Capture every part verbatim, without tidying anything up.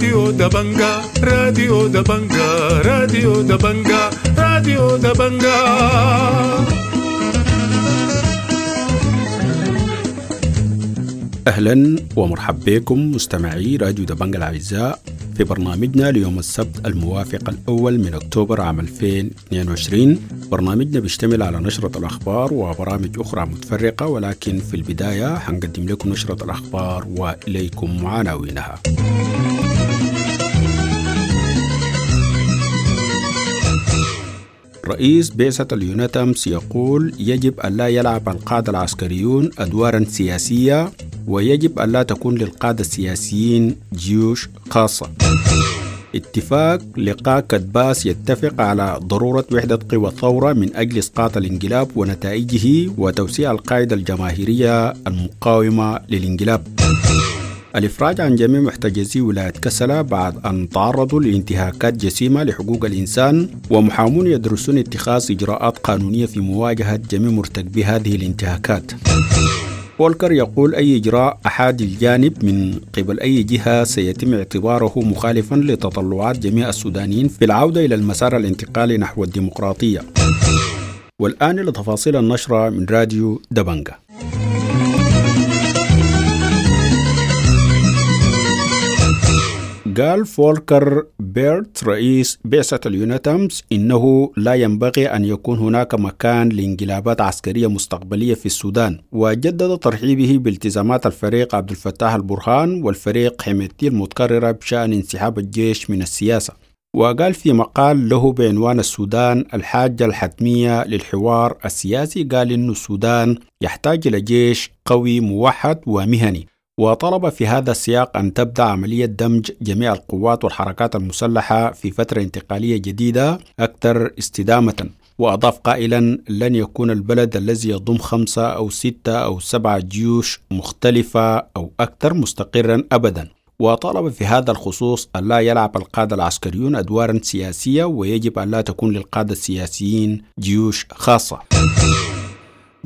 راديو دبنجا، راديو دبنجا، راديو دبنجا، راديو دبنجا. أهلا ومرحبا بكم مستمعي راديو دبنجا الأعزاء في برنامجنا ليوم السبت الموافق الأول من أكتوبر عام ألفين واثنين وعشرين. برنامجنا بيشتمل على نشرة الأخبار وبرامج أخرى متفرقة، ولكن في البداية هنقدم لكم نشرة الأخبار وإليكم عناوينها. رئيس بعثة اليوناتامس يقول يجب أن لا يلعب القادة العسكريون أدوارا سياسية، ويجب أن لا تكون للقادة السياسيين جيوش خاصة. اتفاق لقاء كدباس يتفق على ضرورة وحدة قوى الثورة من أجل إسقاط الانقلاب ونتائجه وتوسيع القاعدة الجماهيرية المقاومة للانقلاب. الإفراج عن جميع محتجزي ولاية كسلا بعد أن تعرضوا لانتهاكات جسيمة لحقوق الإنسان، ومحامون يدرسون اتخاذ إجراءات قانونية في مواجهة جميع مرتكبي هذه الانتهاكات. فولكر يقول أي إجراء أحادي الجانب من قبل أي جهة سيتم اعتباره مخالفا لتطلعات جميع السودانيين في العودة إلى المسار الانتقالي نحو الديمقراطية. والآن لتفاصيل النشرة من راديو دبنجا. قال فولكر بيرت رئيس بعثة اليوناتامس إنه لا ينبغي أن يكون هناك مكان لانقلابات عسكرية مستقبلية في السودان، وجدد ترحيبه بالتزامات الفريق عبد الفتاح البرهان والفريق حميدتي المتكررة بشأن انسحاب الجيش من السياسة. وقال في مقال له بعنوان السودان الحاجة الحتمية للحوار السياسي، قال إن السودان يحتاج إلى جيش قوي موحد ومهني، وطلب في هذا السياق أن تبدأ عملية دمج جميع القوات والحركات المسلحة في فترة انتقالية جديدة أكثر استدامة. وأضاف قائلا لن يكون البلد الذي يضم خمسة أو ستة أو سبعة جيوش مختلفة أو أكثر مستقرا أبدا. وطلب في هذا الخصوص أن لا يلعب القادة العسكريون أدوارا سياسية، ويجب أن لا تكون للقادة السياسيين جيوش خاصة.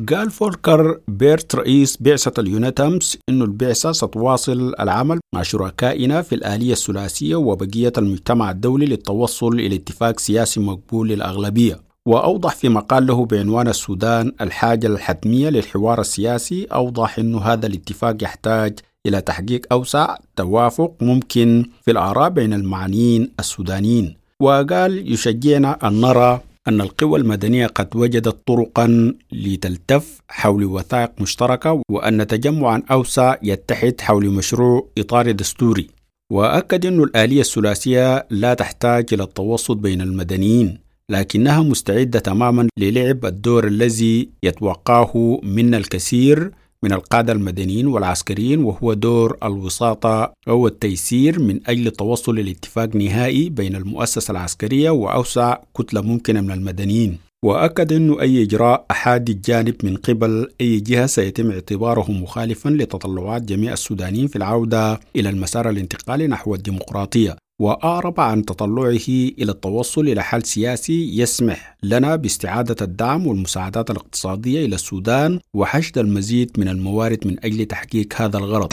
قال فولكر بيرت رئيس بعثة اليوناتامس إنه البعثة ستواصل العمل مع شركائنا في الآلية الثلاثية وبقية المجتمع الدولي للتوصل إلى اتفاق سياسي مقبول للأغلبية. وأوضح في مقال له بعنوان السودان الحاجة الحتمية للحوار السياسي، أوضح إنه هذا الاتفاق يحتاج إلى تحقيق أوسع توافق ممكن في الآراء بين المعنيين السودانيين. وقال يشجعنا أن نرى أن القوى المدنية قد وجدت طرقا لتلتف حول وثائق مشتركة، وأن تجمعا أوسع يتحد حول مشروع إطار دستوري. وأكد أن الآلية الثلاثية لا تحتاج إلى التوسط بين المدنيين، لكنها مستعدة تماما للعب الدور الذي يتوقعه منا الكثير من القادة المدنيين والعسكريين، وهو دور الوساطة أو التيسير من أجل التوصل لاتفاق نهائي بين المؤسسة العسكرية وأوسع كتلة ممكنة من المدنيين. وأكد أنه أي إجراء أحادي الجانب من قبل أي جهة سيتم اعتباره مخالفا لتطلعات جميع السودانيين في العودة إلى المسار الانتقالي نحو الديمقراطية. وأعرب عن تطلعه إلى التوصل إلى حل سياسي يسمح لنا باستعادة الدعم والمساعدات الاقتصادية إلى السودان وحشد المزيد من الموارد من أجل تحقيق هذا الغرض.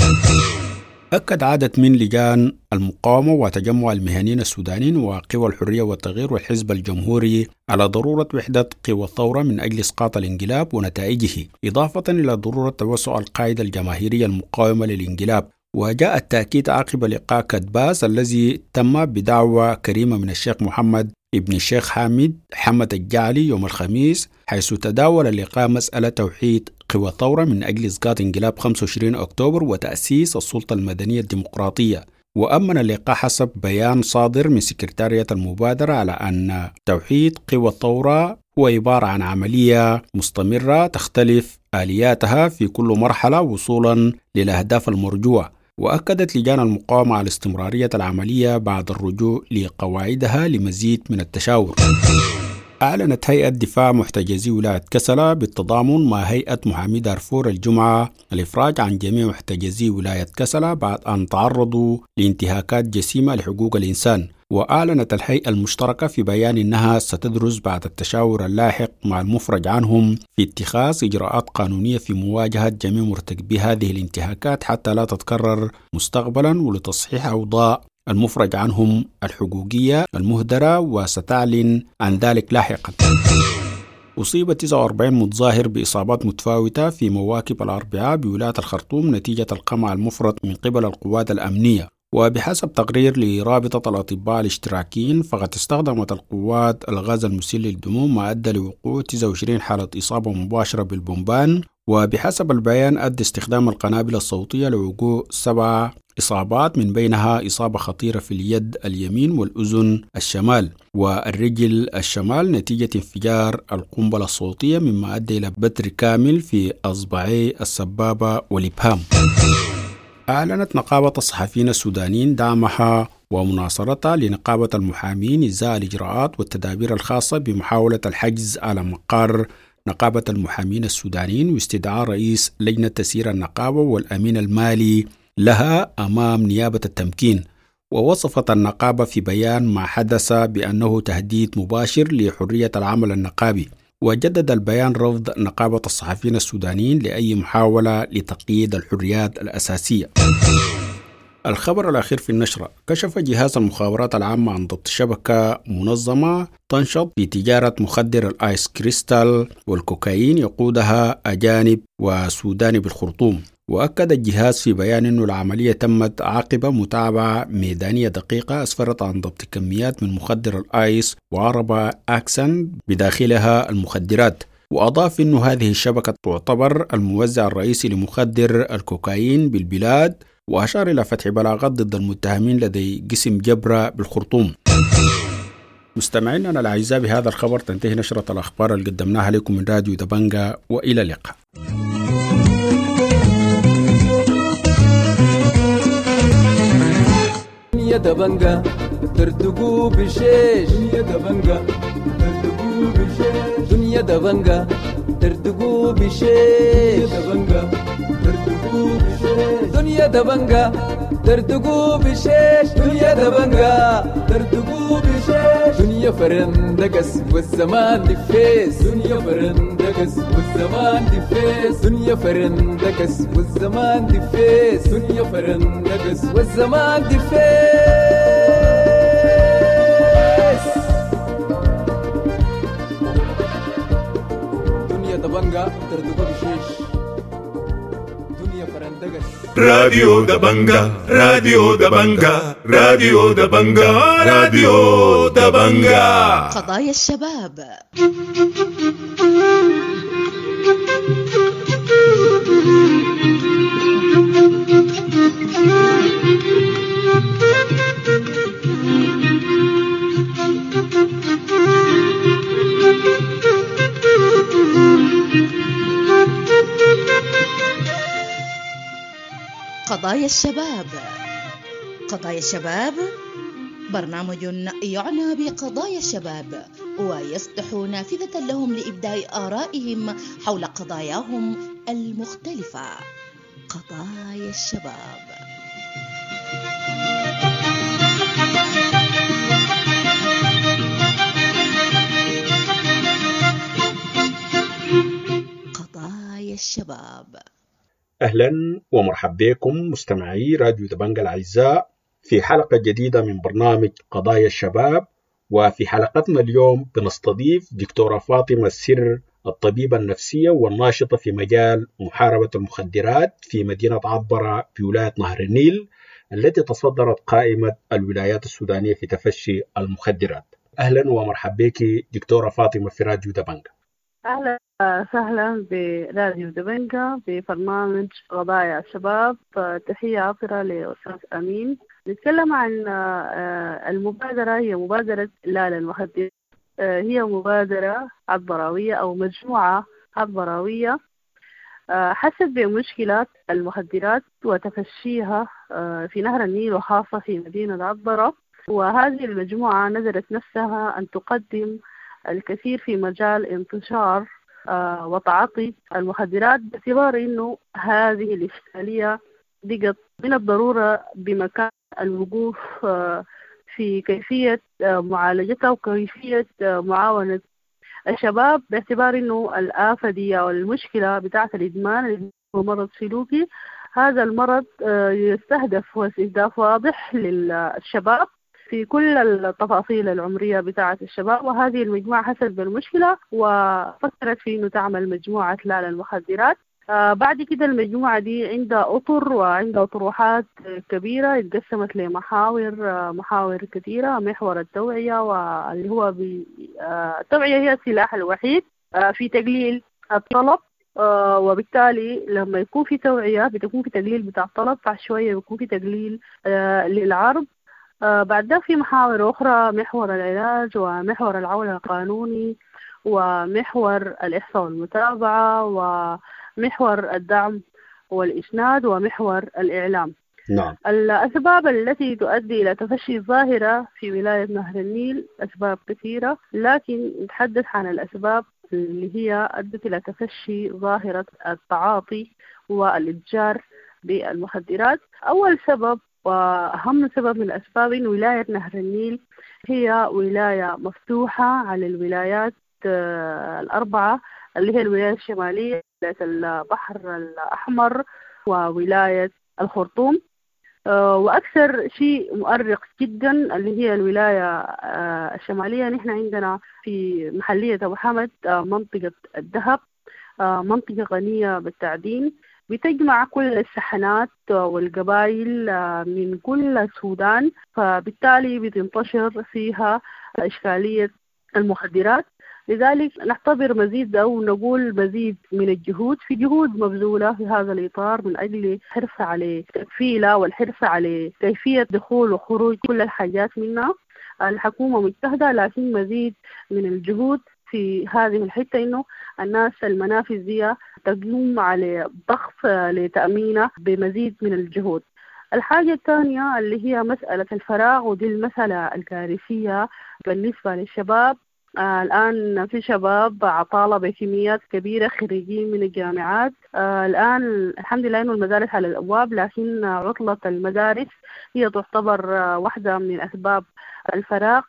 أكد عدد من لجان المقاومة وتجمع المهنيين السودانيين وقوى الحرية والتغيير والحزب الجمهوري على ضرورة وحدة قوى الثورة من أجل إسقاط الانقلاب ونتائجه، إضافة إلى ضرورة توسع القاعدة الجماهيرية المقاومة للانقلاب. وجاء التأكيد عقب لقاء كدباس الذي تم بدعوة كريمة من الشيخ محمد ابن الشيخ حامد حمد الجعلي يوم الخميس، حيث تداول اللقاء مسألة توحيد قوى الثورة من أجل إسقاط انقلاب خمسة وعشرين أكتوبر وتأسيس السلطة المدنية الديمقراطية. وأمن اللقاء حسب بيان صادر من سكرتارية المبادرة على أن توحيد قوى الثورة هو عبارة عن عملية مستمرة تختلف آلياتها في كل مرحلة وصولا للأهداف المرجوة. وأكدت لجان المقاومة على استمرارية العملية بعد الرجوع لقواعدها لمزيد من التشاور. أعلنت هيئة دفاع محتجزي ولاية كسلا بالتضامن مع هيئة محامي دارفور الجمعة الإفراج عن جميع محتجزي ولاية كسلا بعد أن تعرضوا لانتهاكات جسيمة لحقوق الإنسان. وأعلنت الهيئة المشتركة في بيان أنها ستدرس بعد التشاور اللاحق مع المفرج عنهم في اتخاذ إجراءات قانونية في مواجهة جميع مرتكبي هذه الانتهاكات حتى لا تتكرر مستقبلا، ولتصحيح أوضاع المفرج عنهم الحقوقية المهدرة، وستعلن عن ذلك لاحقا. أصيب تسعة وأربعين متظاهر بإصابات متفاوتة في مواكب الأربعاء بولاية الخرطوم نتيجة القمع المفرط من قبل القوات الأمنية. وبحسب تقرير لرابطة الأطباء الاشتراكيين، فقد استخدمت القوات الغاز المسيل للدموع ما أدى لوقوع تسعة وعشرين حالة إصابة مباشرة بالبومبان. وبحسب البيان أدى استخدام القنابل الصوتية لوقوع سبع إصابات، من بينها إصابة خطيرة في اليد اليمين والأذن الشمال والرجل الشمال نتيجة انفجار القنبلة الصوتية، مما أدى إلى بتر كامل في أصبعي السبابة والإبهام. أعلنت نقابة الصحفيين السودانيين دعمها ومناصرتها لنقابة المحامين إزاء الإجراءات والتدابير الخاصة بمحاولة الحجز على مقر نقابة المحامين السودانيين واستدعاء رئيس لجنة تسيير النقابة والأمين المالي لها أمام نيابة التمكين. ووصفت النقابة في بيان ما حدث بأنه تهديد مباشر لحرية العمل النقابي. وجدد البيان رفض نقابة الصحفيين السودانيين لأي محاولة لتقييد الحريات الأساسية. الخبر الأخير في النشرة: كشف جهاز المخابرات العامة عن ضبط شبكة منظمة تنشط في تجارة مخدر الآيس كريستال والكوكايين يقودها أجانب وسوداني بالخرطوم. وأكد الجهاز في بيان أن العملية تمت عقب متابعة ميدانية دقيقة أسفرت عن ضبط كميات من مخدر الآيس وعربة أكسن بداخلها المخدرات. وأضاف أن هذه الشبكة تعتبر الموزع الرئيسي لمخدر الكوكايين بالبلاد، وأشار إلى فتح بلاغات ضد المتهمين لدي قسم جبرة بالخرطوم. مستمعينا الأعزاء، بهذا الخبر تنتهي نشرة الأخبار اللي قدمناها لكم من راديو دبنجا، وإلى اللقاء. يا دبنجا ترتقوا بشيش، يا دبنجا ترتقوا بشيش، دنيا دبنجا ترتقوا بشيش، يا دبنجا ترتقوا بشيش، دنيا دبنجا ترتقوا بشيش، دنيا دبنجا ترتقوا بشيش، دنيا فرندقس والزمان دفيس، دنيا فرندقس والزمان دفيس، دنيا فرندقس والزمان دفيس، دنيا فرندقس والزمان دفيس. دنيا دبنجا ترتقوا بشيش، دنيا فرندقس. راديو دبنجا، راديو دبنجا، راديو دبنجا، راديو دبنجا. قضايا الشباب. قضايا الشباب. قضايا الشباب برنامج يعنى بقضايا الشباب ويفتح نافذة لهم لإبداء آرائهم حول قضاياهم المختلفة. قضايا الشباب. قضايا الشباب. أهلا ومرحبا بكم مستمعي راديو دبنجا الأعزاء في حلقة جديدة من برنامج قضايا الشباب. وفي حلقتنا اليوم بنستضيف دكتورة فاطمة السر، الطبيبة النفسية والناشطة في مجال محاربة المخدرات في مدينة عطبرة في ولاية نهر النيل، التي تصدرت قائمة الولايات السودانية في تفشي المخدرات. أهلا ومرحبا بك دكتورة فاطمة في راديو دبنجا. أهلا وسهلا براديو دبنجا ببرنامج قضايا الشباب. تحية عطرة لأستاذ أمين. نتكلم عن المبادرة، هي مبادرة لا للمخدرات، هي مبادرة عطبراوية أو مجموعة عطبراوية حست بمشكلة المخدرات وتفشيها في نهر النيل وخاصة في مدينة عطبرة، وهذه المجموعة نذرت نفسها أن تقدم الكثير في مجال انتشار وتعاطي المخدرات، باعتبار أنه هذه الإشكالية بقت من الضرورة بمكان الوقوف في كيفية معالجتها وكيفية معاونة الشباب، باعتبار أنه الآفة دي أو المشكلة بتاعة الإدمان هو مرض سلوكي هذا المرض يستهدف، هو استهداف واضح للشباب في كل التفاصيل العمرية بتاعة الشباب. وهذه المجموعة حست بالمشكلة وفكرت في إنه تعمل مجموعة لا للمخدرات. آه بعد كده المجموعة دي عندها أطر وعندها طروحات كبيرة، اتقسمت لمحاور، محاور كثيرة. محور التوعية، واللي هو بي آه التوعية هي السلاح الوحيد آه في تقليل الطلب، آه وبالتالي لما يكون في توعية بتكون في تقليل بتاع الطلب، بعد شوية بيكون في تقليل آه للعرض. آه بعد ده في محاور أخرى، محور العلاج ومحور العون القانوني ومحور الإحصاء والمتابعة ومحور الدعم والإسناد ومحور الإعلام. نعم. الأسباب التي تؤدي إلى تفشي الظاهرة في ولاية نهر النيل أسباب كثيرة، لكن نتحدث عن الأسباب اللي هي أدت إلى تفشي ظاهرة التعاطي والإتجار بالمخدرات. أول سبب وأهم سبب من الأسباب إن ولاية نهر النيل هي ولاية مفتوحة على الولايات الأربعة اللي هي الولاية الشمالية، ولاية البحر الأحمر، وولاية الخرطوم. وأكثر شيء مؤرق جدا اللي هي الولاية الشمالية. نحن عندنا في محلية أبو حمد منطقة الذهب، منطقة غنية بالتعدين، بتجمع كل السحنات والقبائل من كل السودان، فبالتالي بتنتشر فيها إشكالية المخدرات. لذلك نعتبر مزيد أو نقول مزيد من الجهود، في جهود مبذولة في هذا الإطار من أجل الحرص على تكفيلها والحرص على كيفية دخول وخروج كل الحاجات منها. الحكومة مجتهدة، لكن مزيد من الجهود في هذه الحتة إنه الناس المنافذ دي تقوم على ضغط لتأمينها بمزيد من الجهود. الحاجة الثانية اللي هي مسألة الفراغ، ودي المسألة الكارثية بالنسبة للشباب. آه الآن في شباب عطالة بكميات كبيرة، خريجين من الجامعات. آه الآن الحمد لله إنه المدارس على الأبواب، لكن عطلة المدارس هي تعتبر آه واحدة من أسباب الفراغ،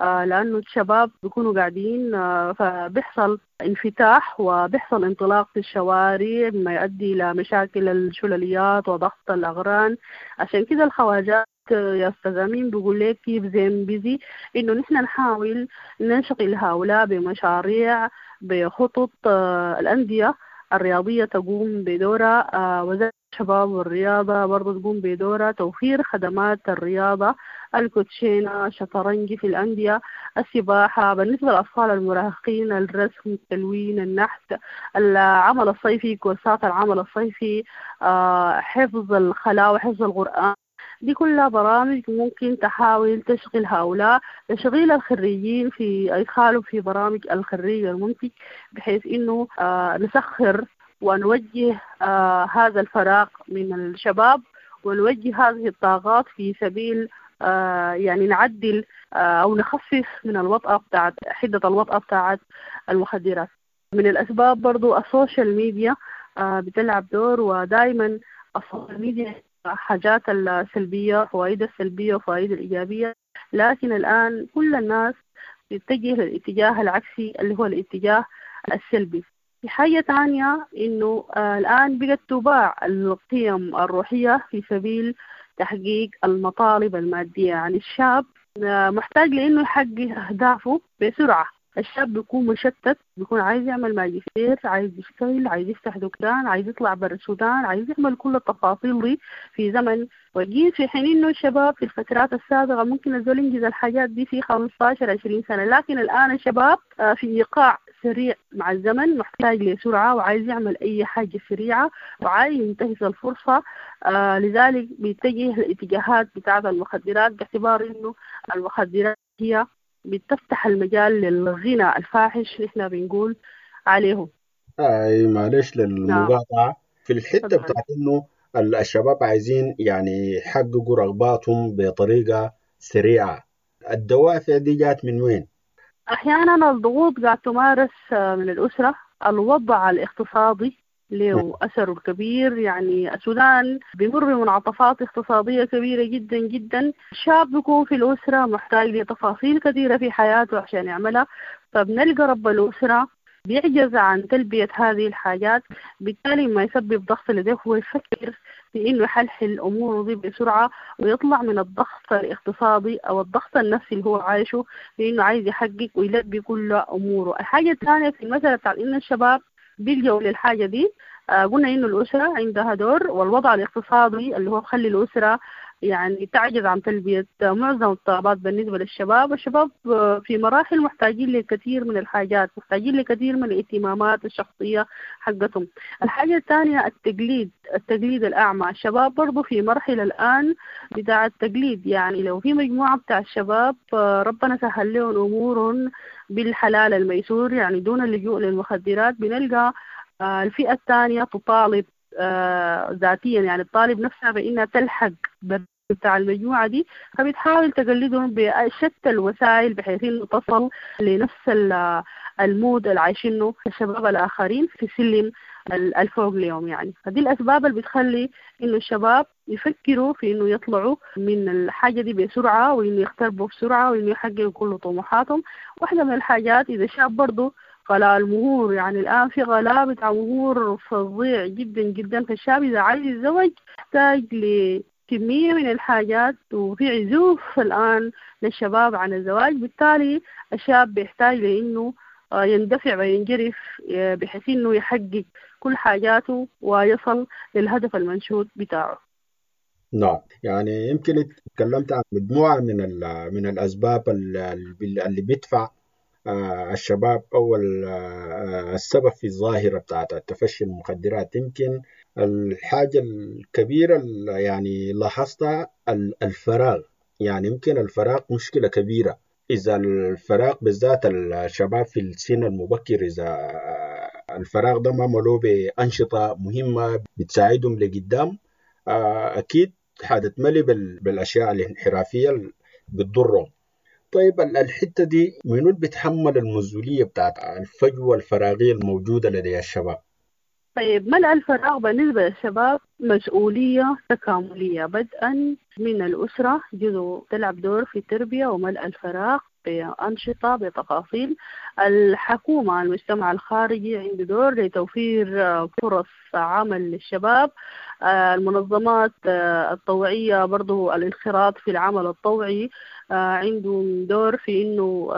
آه لأنه الشباب بيكونوا قاعدين، آه فبيحصل انفتاح وبيحصل انطلاق في الشوارع مما يؤدي إلى مشاكل الشلليات وضغط الأغران. عشان كده الخواجات يا أستاذ أمين بيقول لك keep them busy، إنه نحن نحاول ننشغل هؤلاء بمشاريع، بخطط. آه الأندية الرياضية تقوم بدورها، آه وزارة الشباب والرياضة برضو تقوم بدورها، توفير خدمات الرياضة، الكوتشينة، الشطرنج في الأندية، السباحة بالنسبة للأطفال المراهقين، الرسم، التلوين، النحت، العمل الصيفي، كورسات العمل الصيفي، آه حفظ الخلاء وحفظ القرآن. دي كلها برامج ممكن تحاول تشغل هؤلاء، تشغيل الخريجين في إدخالهم في برامج الخريج المنتج، بحيث إنه آه نسخر ونوجه آه هذا الفراغ من الشباب، ونوجه هذه الطاقات في سبيل آه يعني نعدل آه أو نخفف من الوطأة بتاعت حدة الوطأة بتاعت المخدرات. من الأسباب برضو ال social media آه بتلعب دور، ودائما ال social media حاجات السلبية، فوائد السلبية وفوائد الإيجابية، لكن الآن كل الناس تتجه للاتجاه العكسي اللي هو الاتجاه السلبي. في حاجة تانية إنه آه الآن بقت تباع القيم الروحية في سبيل تحقيق المطالب المادية. يعني الشاب آه محتاج لإنه يحقق أهدافه بسرعة. الشاب بيكون مشتت، بيكون عايز يعمل ماجستير، عايز يشتغل، عايز يفتح دكان، عايز يطلع برا السودان، عايز يعمل كل التفاصيل دي في زمن وجيز، في حين انه الشباب في الفترات السابقة ممكن الزول ينجز الحاجات دي في خمستاشر عشرين سنة، لكن الآن الشباب في إيقاع سريع مع الزمن، محتاج لسرعة وعايز يعمل أي حاجة سريعة وعايز ينتهز الفرصة. آه لذلك بيتجه الاتجاهات بتاعة المخدرات، باعتبار إنه المخدرات هي بتفتح المجال للغنى الفاحش نحن بنقول عليه. أي معلش للمقاطعة في الحتة بتاعت إنه الشباب عايزين يعني يحققوا رغباتهم بطريقة سريعة، الدوافع دي جات من وين؟ أحيانا الضغوط قاعد تمارس من الأسرة، الوضع الاقتصادي له أثره الكبير. يعني السودان بيمر بمنعطفات اقتصادية كبيرة جدا جدا، الشاب بيكون في الأسرة محتاج لتفاصيل كثيرة في حياته عشان يعملها، فبنلقى رب الأسرة بيعجز عن تلبية هذه الحاجات، بالتالي ما يسبب ضغط لديه هو يفكر في إنه يحلحل أموره دي بسرعة ويطلع من الضغط الاقتصادي أو الضغط النفسي اللي هو عايشه، في إنه عايز يحقق ويلبي كل أموره. الحاجة الثانية في المسألة بتاع إن الشباب بيلجأوا للحاجة دي، آه قلنا إنه الأسرة عندها دور، والوضع الاقتصادي اللي هو بخلي الأسرة يعني تعجز عن تلبية معظم الطلبات بالنسبة للشباب. الشباب في مراحل محتاجين لكثير من الحاجات، محتاجين لكثير من الاهتمامات الشخصية حقتهم. الحاجة الثانية التقليد، التقليد الأعمى. الشباب برضو في مرحلة الآن بتاع التقليد، يعني لو في مجموعة بتاع الشباب ربنا سهل لهم أمورهم بالحلال الميسور يعني دون اللجوء للمخدرات، بنلقى الفئة الثانية تطالب ذاتيا، يعني الطالب نفسها بأنها تلحق بتاع المجموعة دي، فبتحاول تقلدهم بشتى الوسائل بحيث إنه تصل لنفس المود اللي عايشينه الشباب الآخرين في سلم الفوق اليوم. يعني فدي الأسباب اللي بتخلي إنه الشباب يفكروا في إنه يطلعوا من الحاجة دي بسرعة، وإنه يقتربوا بسرعة، وإنه يحققوا كل طموحاتهم. واحدة من الحاجات إذا شاب برضو غلاء المهور، يعني الآن في غلاء بتاع مهور فظيع جدا جدا، فالشاب إذا عايز يتزوج يحتاج لكمية من الحاجات، وفي عزوف الآن للشباب عن الزواج، بالتالي الشاب بيحتاج لإنه يندفع وينجرف بحيث إنه يحقق كل حاجاته ويصل للهدف المنشود بتاعه. نعم، يعني يمكن تكلمت عن مجموعة من من الأسباب اللي بيدفع الشباب أو السبب في الظاهرة بتاعت التفشي المخدرات. يمكن الحاجة الكبيرة اللي يعني لاحظتها الفراغ، يعني يمكن الفراغ مشكلة كبيرة. إذا الفراغ بالذات الشباب في السن المبكر، إذا الفراغ ده ما ملوه بأنشطة مهمة بتساعدهم لقدام، أكيد حتتملي بالأشياء الانحرافية اللي بتضرهم. طيب الحتة دي منو اللي بيتحمل المسؤولية بتاعت الفجوة الفراغية الموجودة لدي الشباب؟ طيب، ملء الفراغ بالنسبة للشباب مسؤولية تكاملية، بدءا من الأسرة جزء تلعب دور في التربية وملء الفراغ بأنشطة بتفاصيل. الحكومة، المجتمع الخارجي عنده دور لتوفير فرص عمل للشباب. المنظمات الطوعية برضو الانخراط في العمل الطوعي عنده دور في إنه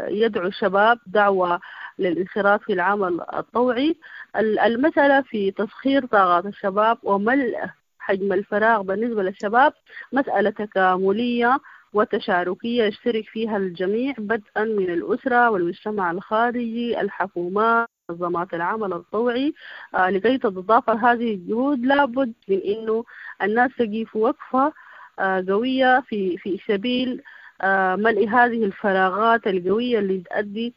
يدعو الشباب دعوة للانخراط في العمل الطوعي. المسألة في تسخير طاقات الشباب وملء حجم الفراغ بالنسبة للشباب مسألة تكاملية وتشاركية يشترك فيها الجميع، بدءا من الأسرة والمجتمع الخارجي، الحكومات، منظمات العمل الطوعي. آه لكي تتضافر هذه الجهود لابد من إنه الناس تقف وقفة آه قوية في في سبيل آه ملء هذه الفراغات القوية اللي تؤدي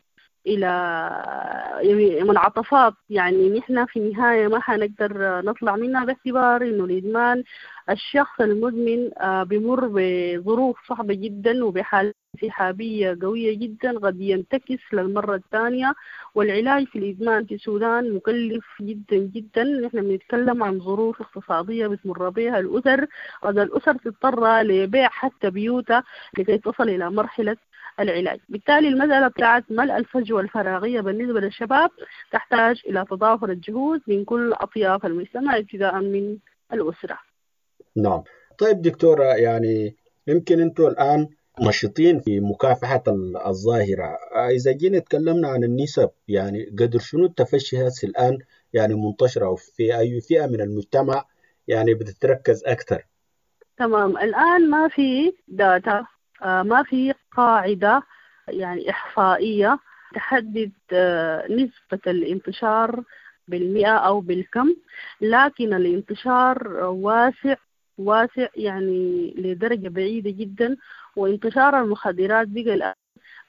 إلى منعطفات، يعني نحن في النهاية ما حنقدر نطلع منها، باعتبار إنه الإدمان الشخص المدمن بمر بظروف صعبة جدا وبحالة انسحابية قوية جدا قد ينتكس للمرة الثانية. والعلاج في الإدمان في السودان مكلف جدا جدا، نحن بنتكلم عن ظروف اقتصادية بتمر بها الأسر، قد الأسر تضطر لبيع حتى بيوتها لكي تصل إلى مرحلة العلاج. بالتالي المسألة بتاعت ملء الفجوة الفراغية بالنسبة للشباب تحتاج إلى تضافر الجهود من كل أطياف المجتمع ابتداء من الأسرة. نعم. طيب دكتورة، يعني يمكن أنتم الآن نشيطين في مكافحة الظاهرة، إذا جينا تكلمنا عن النسب، يعني قدر شنو التفشي هسه الآن يعني منتشرة وفي أي فئة من المجتمع يعني بتتركز أكثر؟ تمام. الآن ما في داتا، ما في قاعدة يعني إحصائية تحدد نسبة الانتشار بالمئة أو بالكم، لكن الانتشار واسع واسع يعني لدرجة بعيدة جدا. وانتشار المخدرات بقى الآن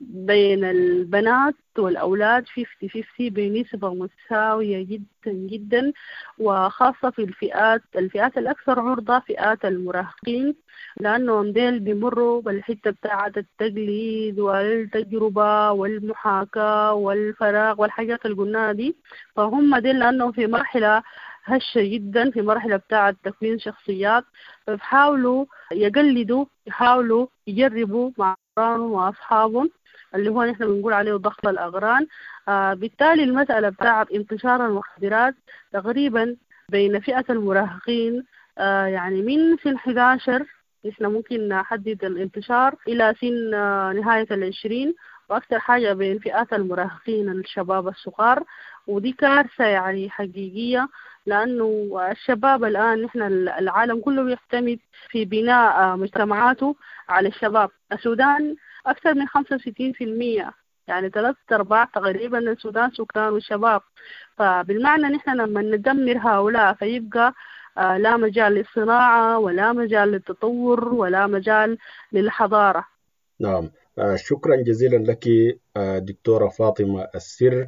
بين البنات والأولاد خمسين خمسين بنسبة متساوية جدا جدا، وخاصة في الفئات الفئات الأكثر عرضة فئات المراهقين، لأنهم ديل بيمروا بالحتة بتاعة التقليد والتجربة والمحاكاة والفراغ والحاجات اللي قلناها دي. فهم ديل لأنهم في مرحلة هشة جدا، في مرحلة بتاعة تكوين شخصيات، فبحاولوا يقلدوا، يحاولوا يجربوا مع أقرانهم وأصحابهم، اللي هو نحن بنقول عليه ضغط الأغران. آه بالتالي المسألة بتاعت انتشار المخدرات تقريبا بين فئة المراهقين، آه يعني من سن إحدى عشر نحن ممكن نحدد الانتشار إلى سن آه نهاية العشرين، وأكثر حاجة بين فئات المراهقين الشباب الصغار. ودي كارثة يعني حقيقية، لأنه الشباب الآن نحن العالم كله بيعتمد في بناء مجتمعاته على الشباب. السودان أكثر من خمسة وستين في المية، يعني ثلاثة أرباع تقريبا السودان سكان وشباب. فبالمعنى نحن لما ندمر هؤلاء فيبقى لا مجال للصناعة ولا مجال للتطور ولا مجال للحضارة. نعم، شكرا جزيلا لك دكتورة فاطمة السر،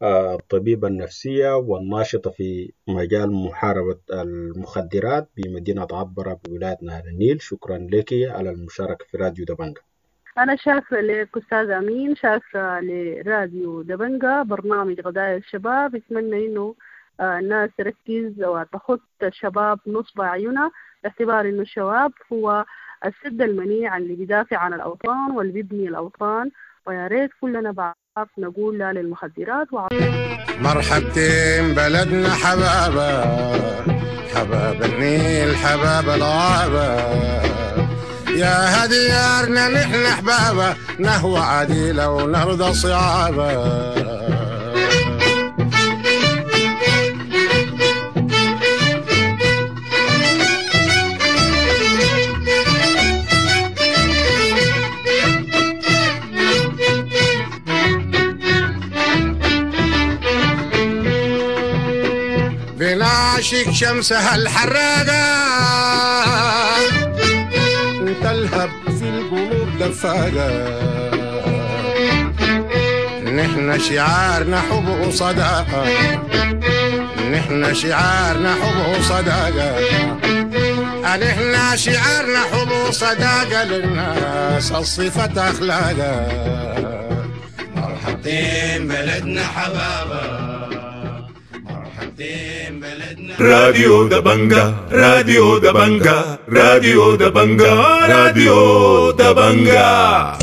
الطبيبة النفسية والناشطة في مجال محاربة المخدرات بمدينة عطبرة بولاية نهر النيل. شكرا لك على المشاركة في راديو دبنجة. أنا شاكرة لك أستاذ أمين، شاكرة لراديو دبنجة برنامج قضايا الشباب. أتمنى إنه الناس تركز وتخط الشباب نصب أعينها، باعتبار إنه الشباب هو السد المنيع اللي بيدافع عن الأوطان واللي بيبني الأوطان. ويا ريت كلنا بعض نقول لا للمخدرات. وع... مرحبتين بلدنا حبابة، حباب النيل حباب الغابة، يا هديارنا نحن حبابة، نهوى عديلة ونرضى صعابة. بنعشق شمسها الحراقة تلهب في القلوب دفاقة، نحن شعارنا حب وصداقة، نحن شعارنا حب وصداقة، نحن شعارنا حب وصداقة، للناس الصفة أخلاقة. مرحبتين بلدنا حبابة، راديو دبنجة، راديو دبنجة، راديو دبنجة، راديو دبنجة.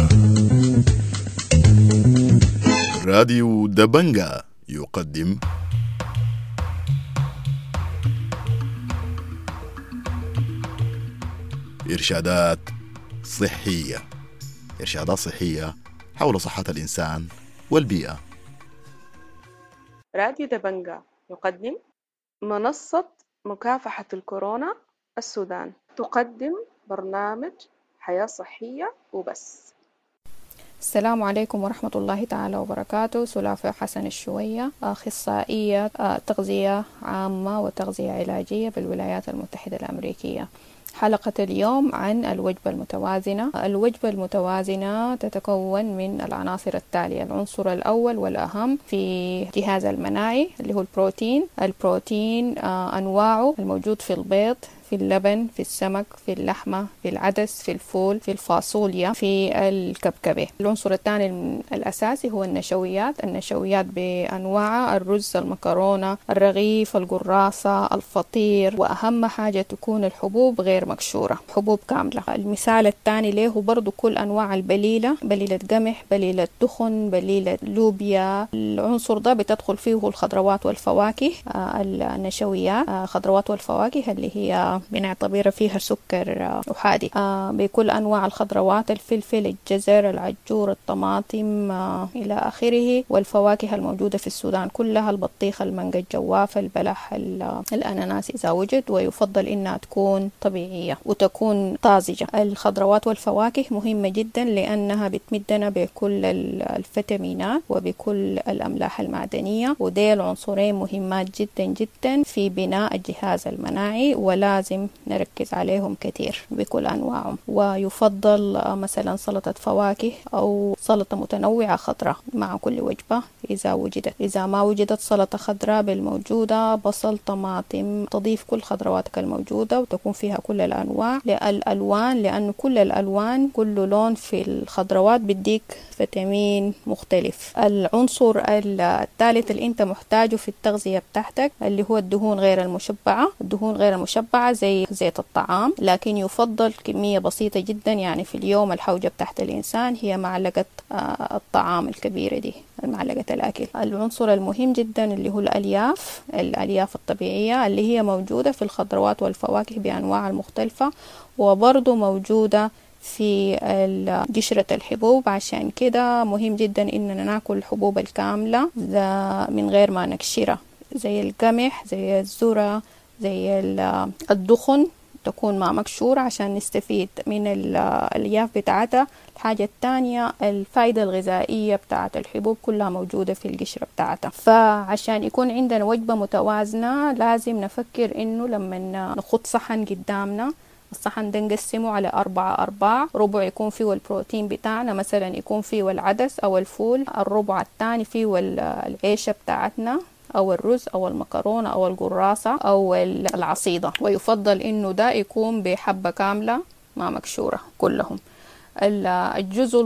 راديو دبنجة يقدم إرشادات صحية، إرشادات صحية حول صحة الإنسان والبيئة. راديو دبنجة يقدم منصة مكافحة الكورونا السودان، تقدم برنامج حياة صحية وبس. السلام عليكم ورحمة الله تعالى وبركاته. سلافة حسن الشوية، أخصائية تغذية عامة وتغذية علاجية بالولايات المتحدة الأمريكية. حلقة اليوم عن الوجبة المتوازنة. الوجبة المتوازنة تتكون من العناصر التالية: العنصر الأول والأهم في الجهاز المناعي اللي هو البروتين. البروتين أنواعه الموجود في البيض، في اللبن، في السمك، في اللحمة، في العدس، في الفول، في الفاصوليا، في الكبكبة. العنصر الثاني الأساسي هو النشويات. النشويات بأنواعها: الرز، المكرونة، الرغيف، القراصة، الفطير، وأهم حاجة تكون الحبوب غير مكشورة، حبوب كاملة. المثال الثاني له برضو كل أنواع البليلة، بليلة قمح، بليلة دخن، بليلة لوبيا. العنصر ده بتدخل فيه الخضروات والفواكه، النشويات، خضروات والفواكه اللي هي بنعتبرها فيها سكر أحادي، بكل أنواع الخضروات، الفلفل، الجزر، العجور، الطماطم إلى آخره. والفواكه الموجودة في السودان كلها: البطيخ، المانجا، الجوافة، البلح، الأناناس إذا وجد، ويفضل إنها تكون طبيعية وتكون طازجة. الخضروات والفواكه مهمة جدا لأنها بتمدنا بكل الفيتامينات وبكل الأملاح المعدنية، وديل عنصرين مهمات جدا جدا في بناء الجهاز المناعي، ولازم نركز عليهم كثير بكل أنواعهم. ويفضل مثلا سلطة فواكه أو سلطة متنوعة خضراء مع كل وجبة إذا وجدت. إذا ما وجدت سلطة خضراء بالموجودة، بصل، طماطم، تضيف كل خضرواتك الموجودة وتكون فيها كل الأنواع الألوان، لأنه كل الألوان كل لون في الخضروات بيديك فيتامين مختلف. العنصر الثالث اللي انت محتاجه في التغذية بتاعتك اللي هو الدهون غير المشبعة. الدهون غير المشبعة زي زيت الطعام، لكن يفضل كمية بسيطة جدا، يعني في اليوم الحوجة بتاعت الإنسان هي معلقة الطعام الكبيرة دي، معلقة الأكل. العنصر المهم جدا اللي هو الألياف، الألياف الطبيعية اللي هي موجودة في الخضروات والفواكه بأنواعها المختلفة، وبرضو موجودة في قشرة الحبوب. عشان كده مهم جدا إننا ناكل الحبوب الكاملة من غير ما نكشرها، زي القمح، زي الذرة، زي الدخن، تكون ما مكشورة عشان نستفيد من الألياف بتاعتها. الحاجة الثانية الفايدة الغذائية بتاعت الحبوب كلها موجودة في القشرة بتاعتها. فعشان يكون عندنا وجبة متوازنة لازم نفكر إنه لما نخط صحن قدامنا، الصحن ده نقسمه على أربعة أرباع، ربع يكون فيه البروتين بتاعنا، مثلا يكون فيه العدس أو الفول، الربع الثاني فيه العيشة بتاعتنا أو الرز أو المكرونة أو القراصة أو العصيدة، ويفضل إنه ده يكون بحبة كاملة ما مكشورة كلهم. الجزء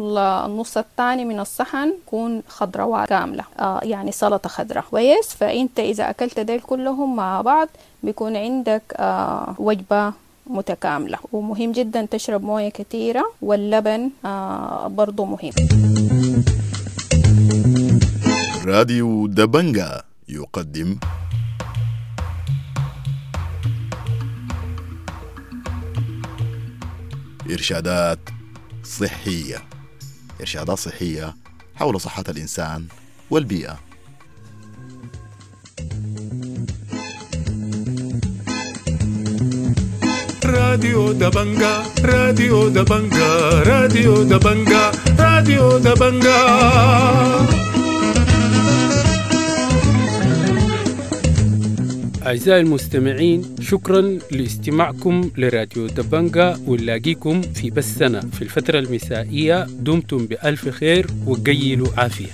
النص الثاني من الصحن يكون خضروات كاملة، آه يعني سلطة خضراء كويس. فأنت إذا أكلت ديل كلهم مع بعض بيكون عندك آه وجبة متكاملة. ومهم جدا تشرب موية كثيرة، واللبن آه برضو مهم. راديو دبنجا يقدم إرشادات صحية، إرشادات صحية حول صحة الإنسان والبيئة. راديو دبنجا، راديو دبنجا، راديو دبنجا، راديو دبنجا. أعزائي المستمعين، شكرا لاستماعكم لراديو دبنجا، ونلاقيكم في بثنا في الفترة المسائية. دمتم بألف خير وقيلوا عافية.